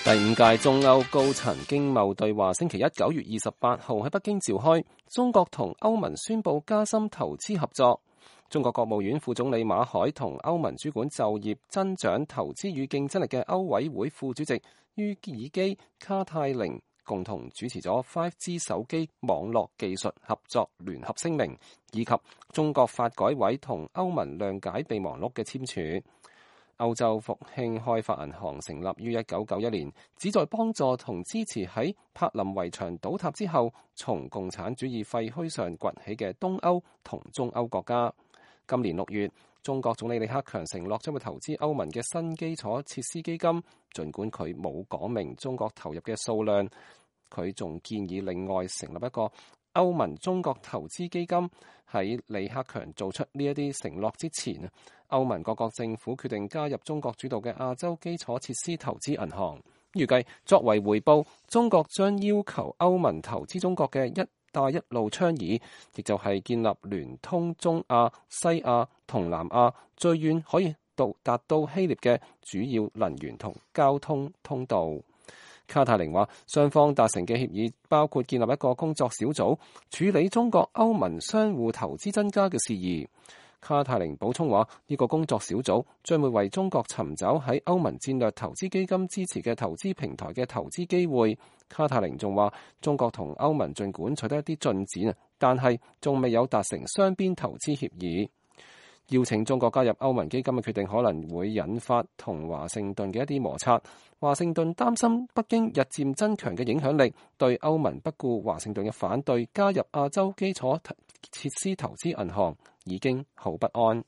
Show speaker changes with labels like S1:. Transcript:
S1: 第5屆中歐高層經貿對話星期一9月28號喺北京召開，中國同歐盟宣布加深投資合作。中國國務院副總理馬凱同歐盟主管就業、增長、投資與競爭力嘅歐委會副主席于爾基卡泰寧共同主持咗 5G 手機網絡技術合作聯合聲明，以及中國發改委同歐盟諒解備忘錄嘅簽署。歐洲復興開發銀行成立於1991年，旨在幫助同支持喺柏林圍牆倒塌之後從共產主義廢墟上崛起嘅東歐同中歐國家。今年6月，中國總理李克強承諾將會投資歐盟嘅新基礎設施基金，儘管佢冇講明中國投入嘅數量，佢仲建議另外成立一個歐盟中國投資基金。喺李克強做出呢一啲承諾之前，歐盟各國政府決定加入中國主導嘅亞洲基礎設施投資銀行。預計作為回報，中國將要求歐盟投資中國嘅一帶一路倡議，亦就係建立聯通中亞、西亞同南亞，最遠可以達到希臘嘅主要能源同交通通道。卡泰寧話，雙方達成嘅協議包括建立一個工作小組，處理中國歐盟相互投資增加嘅事宜。卡泰寧補充話，呢個工作小組將會為中國尋找喺歐盟戰略投資基金支持嘅投資平台嘅投資機會。卡泰寧仲話，中國同歐盟儘管取得一啲進展，但係仲未有達成雙邊投資協議。邀請中國加入歐盟基金嘅決定可能會引發同華盛頓嘅一啲摩擦。華盛頓擔心北京日漸增強嘅影響力對歐盟不顧華盛頓嘅反對加入亞洲基礎設施投資銀行已經好不安。